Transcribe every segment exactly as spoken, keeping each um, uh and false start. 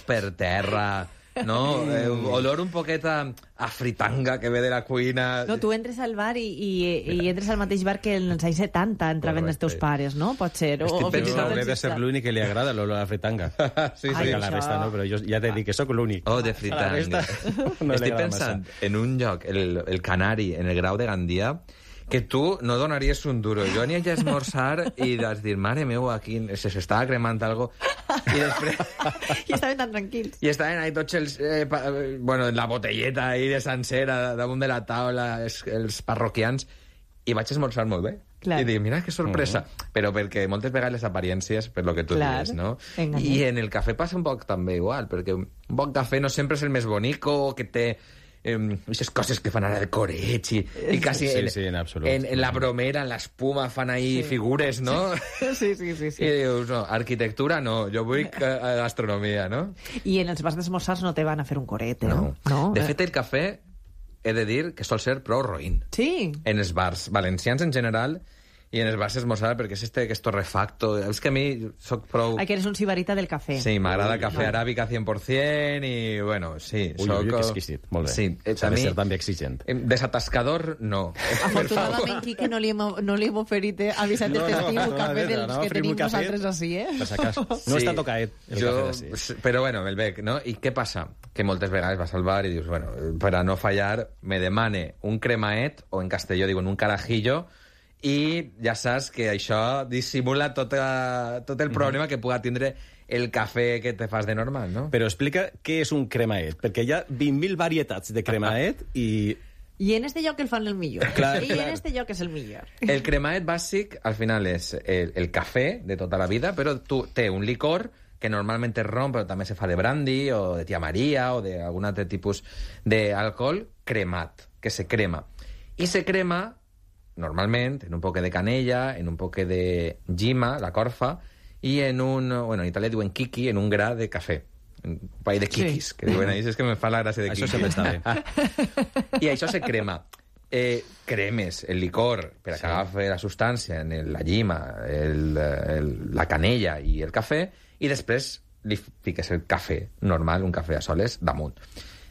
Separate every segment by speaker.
Speaker 1: per terra, no? Eh, olor un poquet a, a fritanga que ve de la cuina.
Speaker 2: No, tu entres al bar i, i, i entres al mateix bar que en els anys setanta entraven els teus pares, no? Pot ser. O,
Speaker 3: Estic
Speaker 2: o fins i
Speaker 3: pensant,
Speaker 2: tot
Speaker 3: hauré de
Speaker 2: els
Speaker 3: ser l'únic que li agrada l'olor a la fritanga.
Speaker 1: Sí, sí.
Speaker 2: Ai,
Speaker 3: A la
Speaker 2: això-
Speaker 3: resta no, però jo ja t'he dit que sóc l'únic.
Speaker 1: Oh, de
Speaker 3: A la
Speaker 1: fritanga.
Speaker 3: resta no li
Speaker 1: Estic
Speaker 3: agrada
Speaker 1: pensant
Speaker 3: massa.
Speaker 1: en un lloc, el, el Canari, en el Grau de Gandia, que tu no donaries un duro. Jo ania a esmorzar i vas dir, mare meu, aquí se s'estava cremant algo. I després...
Speaker 2: I estaven tan tranquils.
Speaker 1: I estaven ahí tots els... Eh, pa, eh, bueno, la botelleta ahí de sencera damunt de la taula, els, els parroquians, i vaig esmorzar molt bé.
Speaker 2: Clar.
Speaker 1: I dic, mira que sorpresa.
Speaker 3: Mm-hmm.
Speaker 1: Però perquè moltes vegades les apariències, per lo que tu
Speaker 2: Clar,
Speaker 1: dius, no?
Speaker 2: enganyen.
Speaker 1: I en el cafè passa un poc també igual, perquè un bon cafè no sempre és el més bonico, que té... Aquestes coses que fan ara de coreig i, i quasi
Speaker 3: Sí,
Speaker 1: en,
Speaker 3: sí, en absolut.
Speaker 1: en, en la bromera, en l'espuma, fan ahí
Speaker 2: Sí.
Speaker 1: figures, no?
Speaker 2: Sí, sí, sí. sí.
Speaker 1: I dius, no, arquitectura no, jo vull que, eh, gastronomia, no?
Speaker 2: I en els bars d'esmorzars no te van a fer un coret, eh?
Speaker 1: No.
Speaker 2: no?
Speaker 1: De
Speaker 2: Eh,
Speaker 1: fet, el cafè, he de dir que sol ser prou roïn.
Speaker 2: Sí.
Speaker 1: En els bars valencians en general i en els bars esmorzar, perquè és este que és torrefacto. És que a mi soc prou...
Speaker 2: Ai, que eres un sibarita del cafè.
Speaker 1: Sí, m'agrada cafè aràbica cent per cent i, bueno, sí.
Speaker 3: Ui,
Speaker 1: soc...
Speaker 3: ui, que exquisit. Molt bé.
Speaker 1: Sí, eh,
Speaker 3: S'ha
Speaker 1: a
Speaker 3: de
Speaker 1: mi...
Speaker 3: ser també exigent.
Speaker 1: eh, Desatascador, no.
Speaker 2: Afortunadament, Quique, no li hem, no li hem oferit eh, avisat
Speaker 3: No,
Speaker 2: este
Speaker 3: no,
Speaker 2: estiu
Speaker 3: no,
Speaker 2: un cafè
Speaker 3: no,
Speaker 2: dels
Speaker 3: no,
Speaker 2: que
Speaker 3: oferim un
Speaker 2: tenim
Speaker 3: cafè.
Speaker 2: nosaltres així, eh?
Speaker 3: Per si acas. No
Speaker 1: Sí.
Speaker 3: està tocaet el
Speaker 1: jo,
Speaker 3: cafè d'ací.
Speaker 1: Però bueno, el bec, no? I què passa? Que moltes vegades vas al bar i dius, bueno, per a no fallar, me demane un cremaet, o en castelló diuen un carajillo, i ja saps que això dissimula tot, a, tot el problema que puga tindre el cafè que te fas de normal, no?
Speaker 3: Però explica què és un cremaet, perquè hi ha vint mil varietats de cremaet i...
Speaker 2: I en este lloc el fan el millor.
Speaker 3: Clar,
Speaker 2: I
Speaker 3: clar.
Speaker 2: en este lloc és el millor.
Speaker 1: El cremaet bàsic, al final, és el, el cafè de tota la vida, però tu té un licor que normalment és rom, però també se fa de brandy, o de tia Maria, o d'algun altre tipus d'alcohol cremat, que se crema. I se crema, normalment, en un poc de canella, en un poc de gima, la corfa, i en un... Bueno, en Itàlia diuen kiki, en un gra de cafè. Un país de kikis,
Speaker 2: Sí.
Speaker 1: que diuen ahí, és que me fa la gràcia de
Speaker 3: Això
Speaker 1: kiki.
Speaker 3: sempre està bé.
Speaker 1: I això se crema. Eh, cremes el licor per a que agafi la substància en el, la llima, el, el, la canella i el cafè, i després li fiques el cafè normal, un cafè a soles, damunt.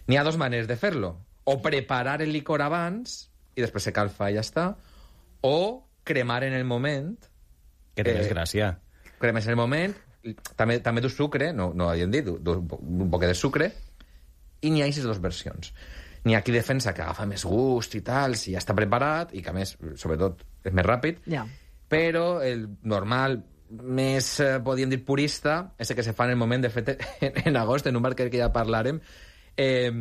Speaker 1: N'hi ha dos maneres de fer-lo. O preparar el licor abans i després se calfa i ja està, o cremar en el moment.
Speaker 3: Que té
Speaker 1: Eh,
Speaker 3: més gràcia.
Speaker 1: Cremes en el moment, també, també du sucre, no, no havíem dit, du, du, un poc de sucre, i n'hi ha aquestes dues versions. N'hi ha qui defensa que agafa més gust i tal, si ja està preparat, i que a més, sobretot, és més ràpid,
Speaker 2: Ja.
Speaker 1: però el normal, més, eh, podríem dir, purista, és el que se fa en el moment, de fet, en, en agost, en un bar que ja parlarem, eh,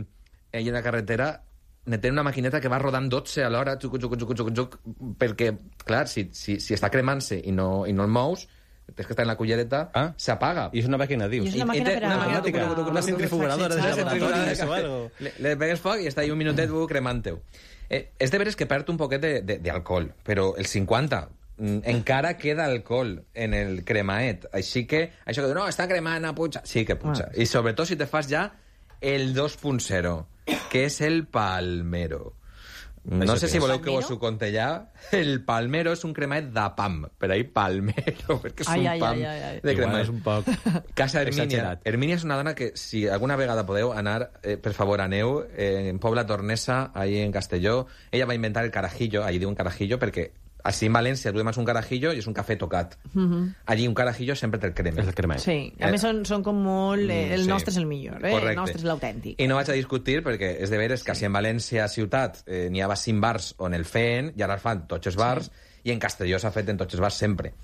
Speaker 1: i en la carretera, ne tenen una maquineta que va rodant dotze a l'hora, xuc, xuc, xuc, xuc, xuc, perquè, clar, si, si, si està cremant-se i no, i no el mous, tens que estar en la cullereta,
Speaker 3: Ah.
Speaker 1: s'apaga.
Speaker 3: I és una màquina, dius?
Speaker 2: I és una
Speaker 1: I- i
Speaker 2: màquina
Speaker 1: té
Speaker 2: per a...
Speaker 1: una màquina
Speaker 3: automàtica,
Speaker 2: per a-
Speaker 3: una centrifugadora de
Speaker 2: per a-
Speaker 3: laboratoris
Speaker 1: de
Speaker 3: o algo.
Speaker 1: Le, le pegues foc i està ahí un minutet uh, cremant-ho. Eh, és de veres que perd un poquet de- de- d'alcohol, però el cinquanta mm, encara queda alcohol en el cremaet. Així que, això que diu, no, està cremant a puja. Sí que puja.
Speaker 2: Ah.
Speaker 1: I sobretot si te fas ja el dos punt zero, que és el palmero. No
Speaker 3: Això
Speaker 1: sé
Speaker 3: què
Speaker 1: si
Speaker 3: és?
Speaker 1: voleu que
Speaker 2: Palmero?
Speaker 1: vos ho conte ja. El palmero és un cremaet de pam, per ahí palmero, perquè és
Speaker 2: Ai,
Speaker 1: un
Speaker 2: ai,
Speaker 1: pam
Speaker 2: ai, ai, ai.
Speaker 1: de
Speaker 3: Igual
Speaker 1: cremaet.
Speaker 3: és un poc
Speaker 1: Casa Hermínia.
Speaker 3: exagerat.
Speaker 1: Hermínia és una dona que, si alguna vegada podeu anar, eh, per favor, aneu, eh, en Pobla Tornesa, ahí en Castelló. Ella va inventar el carajillo, allí diu un carajillo, perquè així en València tu demas un carajillo i és un cafè tocat. Allí un carajillo sempre te'l cremes.
Speaker 3: És el cremaet.
Speaker 2: Sí, a
Speaker 1: Eh,
Speaker 2: més són, són com molt... Eh, el
Speaker 1: sí.
Speaker 2: nostre és el millor, eh?
Speaker 1: Correcte.
Speaker 2: El nostre és l'autèntic.
Speaker 1: I no vaig a discutir, perquè és de veres que si en València ciutat eh, n'hi havia cinc bars on el feien, i ara el fan tots els bars, i en Castelló s'ha fet en tots els bars sempre.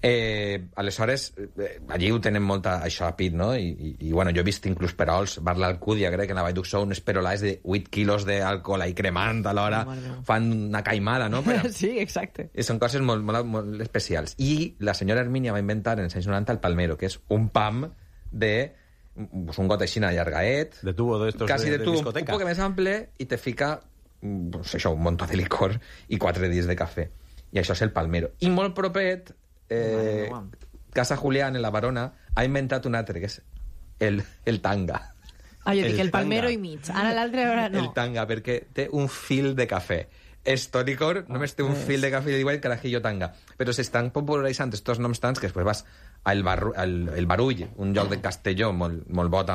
Speaker 1: Eh, aleshores, eh, allí ho tenen molta, això a pit, no? I, i, i bueno, jo he vist inclús perols, bar l'Alcúdia, crec que en la Vall d'Uxó, uns perolars de vuit quilos d'alcohol ahí cremant a l'hora,
Speaker 2: Mare meva.
Speaker 1: fan una caimada, no? Però,
Speaker 2: Sí, exacte.
Speaker 1: i són coses molt, molt, molt especials. I la senyora Hermínia va inventar en els anys noranta el palmero, que és un pam de pues, un got així allargaet,
Speaker 3: De tubo d'estos
Speaker 1: quasi
Speaker 3: de,
Speaker 1: de,
Speaker 3: de
Speaker 1: tu, un
Speaker 3: discoteca.
Speaker 1: poc més ample, i te fica pues, això, un munt de licor i quatre dies de cafè. I això és el palmero. I molt propet, eh,
Speaker 2: Mare meva.
Speaker 1: Casa Julián, en la Barona, ha inventat un altre, que és el, el tanga.
Speaker 2: Ah, jo dic
Speaker 3: El
Speaker 2: el palmero
Speaker 3: tanga.
Speaker 2: i mig. Ara l'altre, ara no.
Speaker 1: El tanga, perquè té un fil de cafè. Esto licor només té un
Speaker 2: pues.
Speaker 1: fil de cafè i diuen carajillo tanga. Però s'estan popularitzant estos noms tants que després vas al, barru, al el Barull, un lloc de Castelló molt, molt bo també,